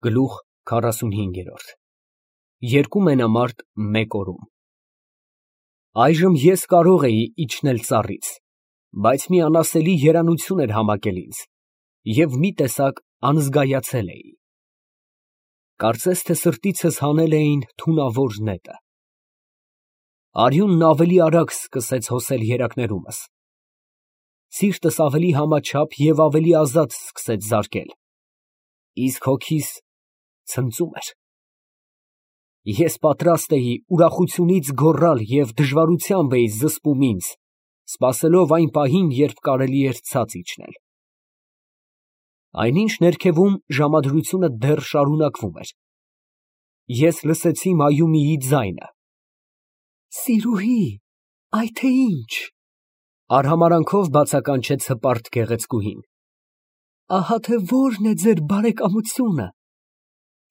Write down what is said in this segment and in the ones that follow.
Գլուխ 45 Երկու մենամարտ մեկ օրում Այժմ ես կարող էի իջնել ծառից, բայց մի անասելի երանություն էր համակել ինձ և մի տեսակ անզգայացել էի։ Կարծես թե սրտիցս հանել էին թունավոր նետը։ Արյունն ավելի արագ սկսեց հոսել երակներումս, սիրտս ավելի համաչափ և ավելի ազատ սկսեց զարկել, իսկ հոգիս ցնծում էր։ Ես պատրաստ էի ուրախությունից գոռալ և դժվարությամբ էի զսպում ինձ, սպասելով այն պահին, երբ կարելի էր ցած իջնել։ Այնինչ ներքևում ժամադրությունը դեռ շարունակվում էր, ես լսեցի Մայումիի ձայնը. «Սիրուհի, այ թե ինչ»։ Արհամարհանքով բացականչեց հպարտ գեղեցկուհին։ «Ահա թե որն է ձեր բարեկամությունը,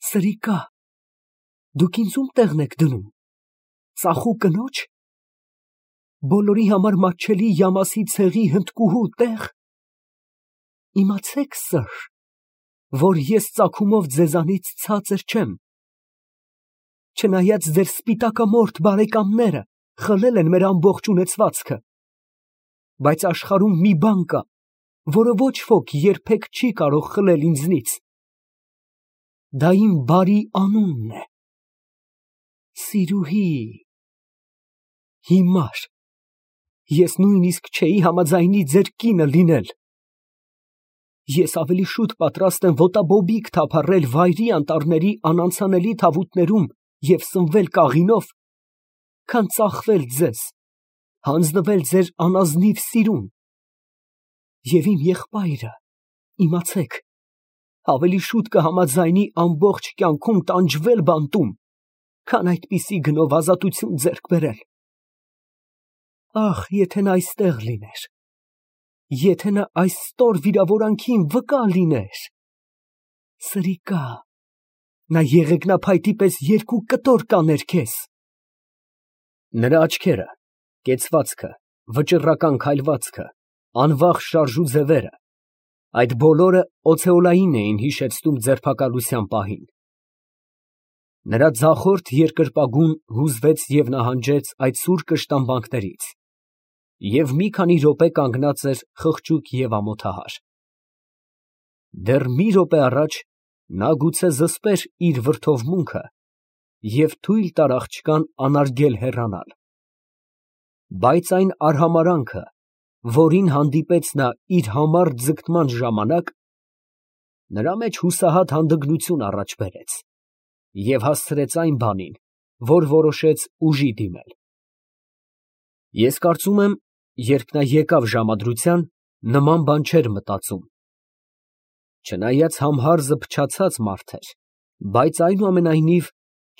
սրիկա, դուք ինձ ում տեղն եք դնում, ծախու կնո՞ջ, բոլորի համար մատչելի յամասի ցեղի հնդկուհու տեղ։ Իմացեք, սըր, որ ես ծագումով ձեզանից ցածր չեմ, չնայած ձեր սպիտակամորթ բարեկամները խլել են մեր ամբողջ ունեցվածքը, բայց աշխարհում մի բան կա, որը ոչ ոք երբեք չի կարող խլել ինձնից. դա իմ բարի անունն է, սիրուհի։ Հիմար ես նույնիսկ չէի համաձայնի ձեր կինը լինել։ Ես ավելի շուտ պատրաստ եմ ոտաբոբիկ թափառել վայրի անտառների անանցանելի թավուտներում և սնվել կաղինով, քան ծախվել ձեզ, հանձնվել ձեր անազնիվ սիրուն։ Եվ իմ եղբայրը, իմացեք, ավելի շուտ կհամաձայնի ամբողջ կյանքում տանջվել բանտում, քան այդպիսի գնով ազատություն ձեռք բերել։ Ախ, եթե նա այստեղ լիներ, եթե նա այս ստոր վիրավորանքին վկա լիներ… Սրիկա, նա եղեգնափայտի պես երկու կտոր կաներ քեզ։ Նրա աչքերը, կեցվածքը, վճռական քայլվածքը, անվախ շարժու ձևերը, այդ բոլորը օցեոլային էին հիշեցնում ձերբակալության պահին։ Նրա ձախորդ երկրպագուն հուզվեց և նահանջեց այդ սուր կշտամբանքներից, և մի քանի րոպե կանգնած էր խղճուկ և ամոթահար։ Դեռ մի րոպե առաջ նա գուցե զսպեր իր վրդովմունքը և թույլ տար աղջկան անարգել հեռանալ, բայց այն արհամարհանքը, որին հանդիպեց նա իր համառ ձգտման ժամանակ, նրա մեջ հուսահատ հանդգնություն առաջ բերեց և հասցրեց այն բանին, որ որոշեց ուժի դիմել։ Ես կարծում եմ, երբ նա եկավ ժամադրության, նման բան չէր մտածում։ Չնայած համհարզը փչացած մարդ էր, բայց այնուամենայնիվ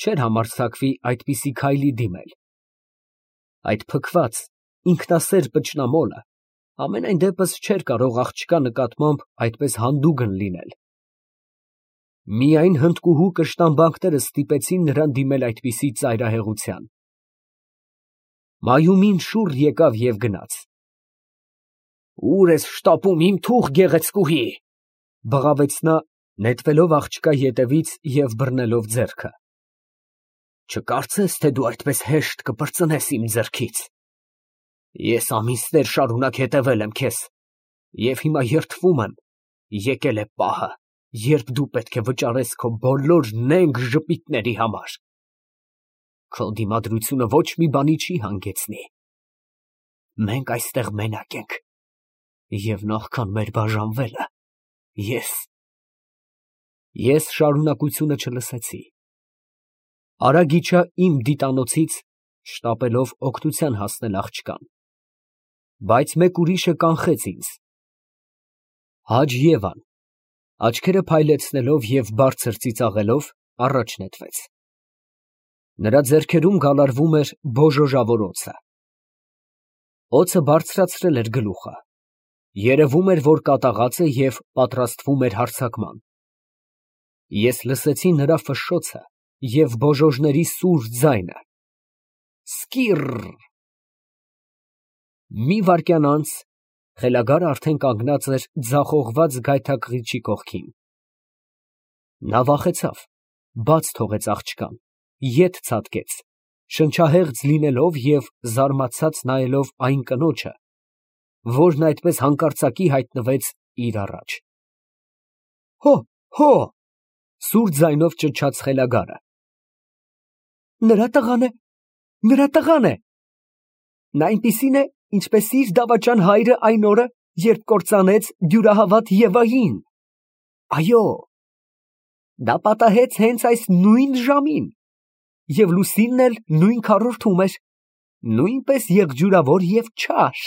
չէր համարձակվի այդպիսի քայլի դիմել։ Այդ փքված, ինքնասեր պճնամոլը համենայն դեպս չէր կարող աղջկա նկատմամբ այդպես հանդուգն լինել։ Միայն հնդկուհու կշտամբանքները ստիպեցին նրան դիմել այդպիսի ծայրահեղության։ Մայումին շուռ եկավ և գնաց։ «Ո՞ւր ես շտապում, իմ թուղ գեղեցկուհի», ֊ բղավեց նա, նետվելով աղջկա ետևից և բռնելով ձեռքը։ «Չկարծես, թե դու այդպես հեշտ կպրծնես իմ ձեռքից։ Ես ամիսներ շարունակ հետևել եմ քեզ և հիմա երդվում եմ, եկել է պահը, երբ դու պետք է վճարես քո բոլոր նենգ ժպիտների համար։ Քո դիմադրությունը ոչ մի բանի չի հանգեցնի։ Մենք այստեղ մենակ ենք, և նախքան մեր բաժանվելը, ես շարունակությունը չլսեցի։ Արագ իջա իմ դիտանոցից, շտապելով օգնության հասնել աղջկան, բայց մեկ ուրիշը կանխեց ինձ։ Հաջ֊Եվան, աչքերը փայլեցնելով և բարձր ծիծաղելով, առաջ նետվեց։ Նրա ձեռքերում գալարվում էր բոժոժավոր օձը։ Օձը բարձրացրել էր գլուխը, երևում էր, որ կատաղած է և պատրաստվում էր հարձակման։ Ես լսեցի նրա ֆշշոցը և բոժոժների սուր ձայնը. «Սկիռ»։ Մի վայրկյան անց խելագարը արդեն կանգնած էր ձախողված գայթակղիչի կողքին։ Նա վախեցավ, բաց թողեց աղջկան, ետ ցատկեց, շնչահեղձ լինելով և զարմացած նայելով այն կնոջը, որն այդպես հանկարծակի հայտնվեց իր առաջ։ Հո, հո, սուր ձայնով ճչաց խելագարը։ Նրա տղան է, նրա տղան է։ Նա այնպիսին է, ինչպես իր դավաճան հայրը այն օրը, երբ կործանեց դյուրահավատ Եվային։ Այո, դա պատահեց հենց այս նույն ժամին, և լուսինն էլ նույն քառորդում էր, նույնպես եղջյուրավոր և չար։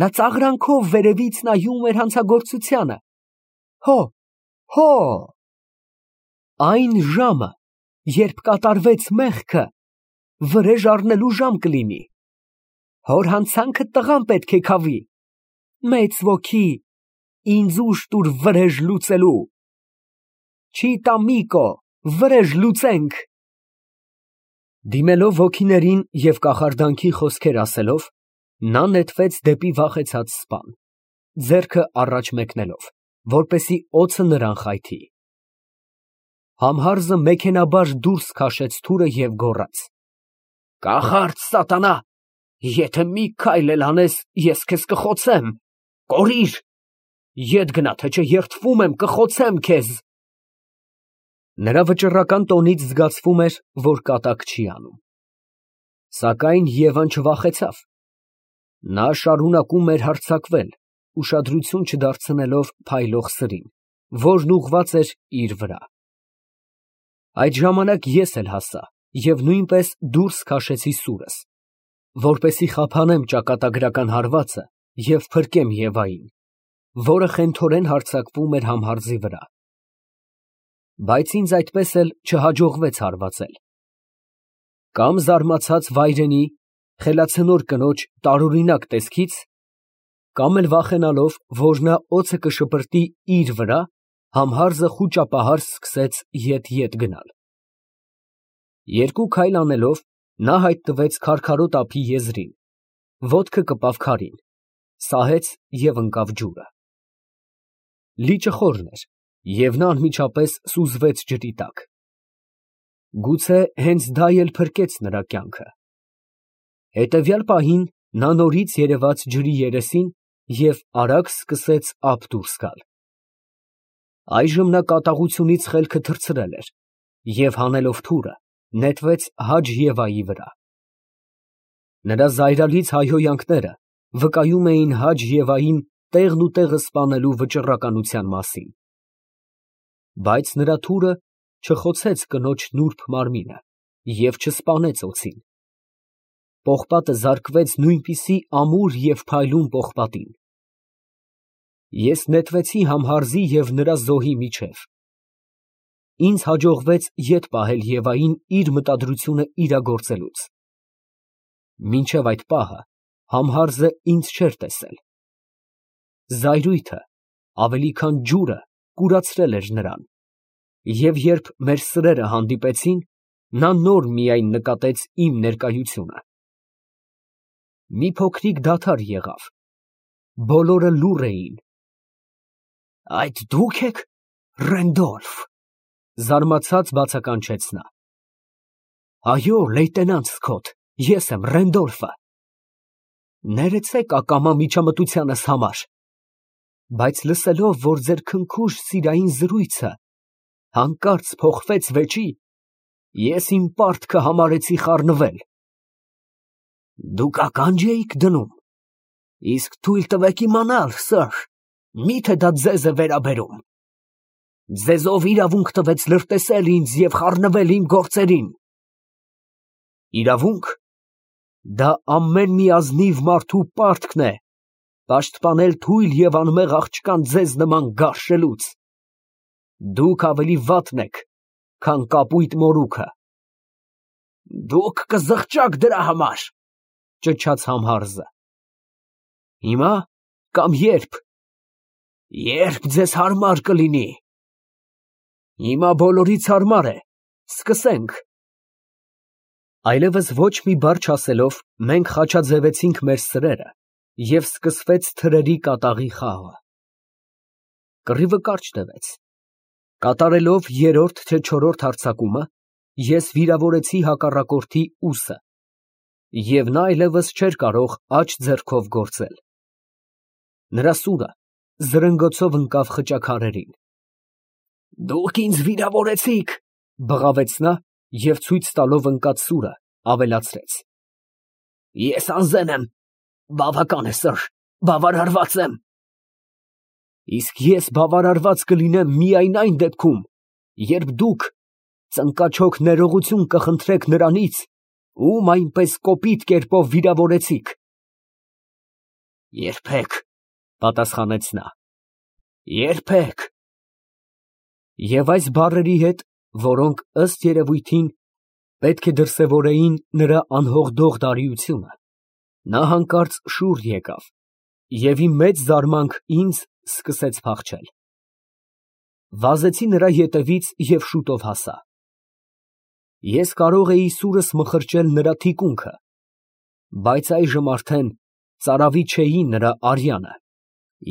Նա ծաղրանքով վերևից նայում էր հանցագործությանը։ Հո, հո, այն ժամը, երբ կատարվեց մեղքը, վրեժ առնելու ժամ կլինի։ Հոր հանցանքը տղան պետք է քավի։ Մեծ ոգի, ինձ ուժ տուր վրեժ լուծելու։ Չիտամիկո, վրեժ լուծենք։ Դիմելով ոգիներին և կախարդանքի խոսքեր ասելով, նա նետվեց դեպի վախեցած սպան, ձեռքը առաջ մեկնելով, որպեսզի օձը նրան խայթի։ Համհարզը մեքենաբար դուրս քաշեց թուրը և գոռաց. Կախարդ սատանա, եթե մի քայլ էլ անես, ես քեզ կխոցեմ, կորիր, ետ գնա, թե չէ երդվում եմ, կխոցեմ քեզ։ Նրա վճռական տոնից զգացվում էր, որ կատակ չի անում։ Սակայն Եվան չվախեցավ։ Նա շարունակում էր հարձակվել, ուշադրություն չդարձնելով փայլող սրին, որն ուղղված էր իր վրա։ Այդ ժամանակ ես էլ հասա և նույնպես դուրս քաշեցի սուրս, որպեսզի խափանեմ ճակատագրական հարվածը և փրկեմ Եվային, որը խենթորեն հարձակվում էր համհարզի վրա։ Բայց ինձ այդպես էլ չհաջողվեց հարվածել։ Կամ զարմացած վայրենի, խելացնոր կնոջ տարօրինակ տեսքից, կամ էլ վախենալով, որ նա օձը կշպրտի իր վրա, համհարզը խուճապահար սկսեց ետ գնալ։ Երկու քայլ անելով, նա հայտնվեց քարքարոտ ափի եզրին, ոտքը կպավ քարին, սահեց և ընկավ ջուրը։ Լիճը խորն էր, և նա անմիջապես սուզվեց ջրի տակ։ Գուցե հենց դա էլ փրկեց նրա կյանքը։ Հետևյալ պահին նա նորից երևաց ջրի երեսին և արագ սկսեց ափ դուրս գալ։ Այժմ նա կատաղությունից խելքը թռցրել էր և, հանելով թուրը, նետվեց Հաջ Եվայի վրա։ Նրա զայրալից հայհոյանքները վկայում էին Հաջ Եվային տեղն ու տեղը սպանելու վճռականության մասին։ Բայց նրա թուրը չխոցեց կնոջ նուրբ մարմինը և չսպանեց օձին։ Պողպատը զարկվեց նույնպիսի ամուր և փայլուն պողպատին։ Ես նետվեցի համհարզի և նրա զոհի միջև։ Ինձ հաջողվեց ետ պահել Եվային իր մտադրությունը իրագործելուց։ Մինչև այդ պահը համհարզը ինձ չէր տեսել։ Զայրույթը, ավելի քան ջուրը, կուրացրել էր նրան, և երբ մեր սրերը հանդիպեցին, նա նոր միայն նկատեց իմ ներկայությունը։ Մի փոքրիկ դադար եղավ, բոլորը լուռ էին։ Այդ դու՞ք եք, Ռենդոլֆ, զարմացած բացականչեց նա։ Այո, լեյտենանտ Սքոթ, ես եմ Ռենդոլֆը։ Ներեցեք ակամա միջամտությանս համար, բայց լսելով, որ ձեր քնքուշ սիրային զրույցը հանկարծ փոխվեց վեճի, ես իմ պարտքը համարեցի խառնվել։ Դուք ականջ էիք դնում, իսկ թույլ տվեք իմանալ, սըր, միթե դա ձեզ է վերաբերում։ Ձեզ ով իրավունք տվեց լրտեսել ինձ և խառնվել իմ գործերին։ Իրավունք։ Դա ամեն մի ազնիվ մարդու պարտքն է, պաշտպանել թույլ և անմեղ աղջկան ձեզ նման գարշելուց։ Դուք ավելի վատն եք, քան կապույտ մորուքը։ Դուք կզղջաք դրա համար, ճչաց համհարզը։ Հիմա կամ երբ։ Երբ ձեզ հարմար կլինի։ Հիմա բոլորից հարմար է, սկսենք։ Այլևս ոչ մի բառ չասելով, մենք խաչաձևեցինք մեր սրերը, և սկսվեց թրերի կատաղի խաղը։ Կռիվը կարճ տևեց։ Կատարելով երրորդ թե չորրորդ հարձակումը, ես վիրավորեցի հակառակորդի ուսը, և նա այլևս չէր կարող աջ ձեռքով գործել։ Նրա սուրը զրնգոցով ընկավ խճաքարերին։ «Դուք ինձ վիրավորեցիք», ֊ բղավեց նա և ցույց տալով ընկած սուրը, ավելացրեց. «Ես անզեն եմ, բավական է, սըր, բավարարված եմ»։ «Իսկ ես բավարարված կլինեմ միայն այն դեպքում, երբ դուք ծնկաչոք ներողություն կխնդրեք նրանից, ում այնպես կոպիտ կերպով վիրավորեցիք»։ «Երբեք», ֊ պատասխանեց նա, «երբեք»։ Եվ այս բառերի հետ, որոնք, ըստ երևույթին, պետք է դրսևորեին նրա անհողդող դարիությունը, նա հանկարծ շուռ եկավ և ի մեծ զարմանք ինձ սկսեց փախչել։ Վազեցի նրա ետևից և շուտով հասա։ Ես կարող էի սուրս մխրճել նրա թիկունքը, բայց այժմ արդեն ծարավի չէի նրա արյանը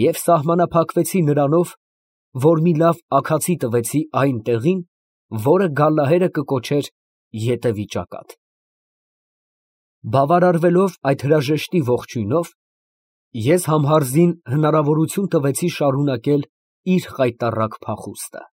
և սահմանափակվեցի նրանով, որ մի լավ աքացի տվեցի այն տեղին, որը գալլահերը կկոչեր ետևի ճակատ։ Բավարարվելով այդ հրաժեշտի ողջույնով, ես համհարզին հնարավորություն տվեցի շարունակել իր խայտառակ փախուստը։